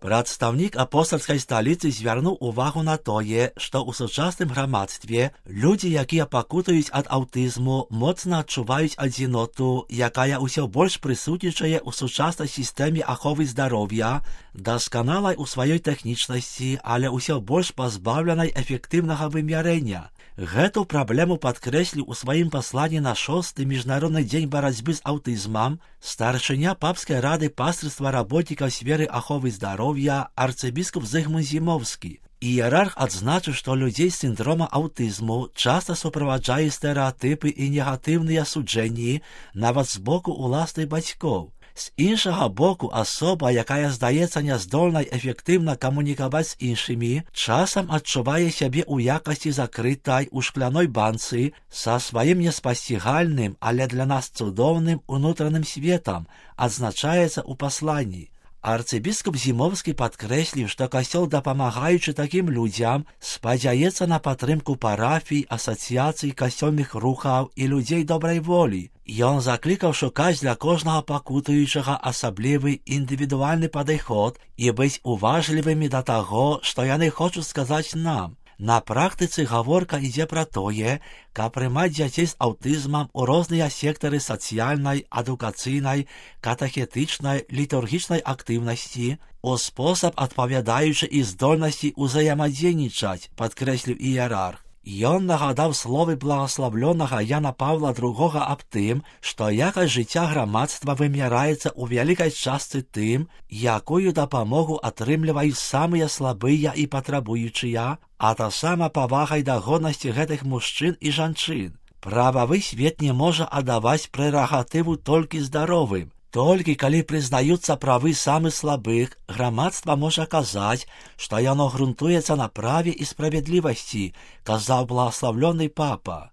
Прадстаўнік апостальскай сталіцы звярнуў увагу на тое, што ў сучасным грамадстве людзі, якія пакутаюць ад аўтызму, моцна адчуваюць адзіноту, якая ўсё больш прысутнічае ў сучаснай сістэме аховы здароўя, дасканалай у сваёй тэхнічнасці, але ўсё больш пазбаўленай эфектыўнага вымярэння. Гэту праблему падкрэсліў у сваім пасланні на 6-й міжнародны дзень барацьбы з аўтызмам старшыня папскай рады пастырства работнікаў сферы аховы здароўя арцыбіскуп Зыгмунд Зімоўскі. Іерарх адзначыў, што людзей з сіндрома аўтызму часта суправаджае стэрэатыпы і негатыўныя суджэнні нават з боку ўласных бацькоў. З іншага боку, асоба, якая здаецца няздольнай эфектыўна камунікаваць з іншымі, часам адчувае сябе ў якасці закрытай у шкляной банцы са сваім неспасцігальным, але для нас цудоўным унутраным светам, адзначаецца ў пасланні. Арцыбіскуп Зімоўскі падкрэсліў, што касцёл, дапамагаючы такім людзям, спадзяецца на падтрымку парафій, асацыяцый, касцёльных рухаў і людзей добрай волі. Ён заклікаў шукаць для кожнага пакутуючага асаблівы індывідуальны падыход і быць уважлівымі да таго, што яны хочуць сказаць нам. На практыцы гаворка ідзе пра тое, каб прымаць дзяцей з аўтызмам у розныя сектары сацыяльнай, адукацыйнай, катэхетычнай, літургічнай актыўнасці, у спосаб адпавядаючы і здольнасці ўзаемадзейнічаць, падкрэсліў іерарх. Ён нагадаў словы благаславлёнага Яна Паўла II аб тым, што якасць жыцця грамадства вымяраецца ў вялікай частцы тым, якую дапамогу атрымліваюць самыя слабыя і патрабуючыя, а таксама павагай да годнасці гэтых мужчын і жанчын. Прававы свет не можа аддаваць прэрагатыву толькі здаровым. Толькі калі прызнаюцца правы самых слабых, грамадства можа казаць, што яно грунтуецца на праве і справядлівасці, казаў благаславлёны папа.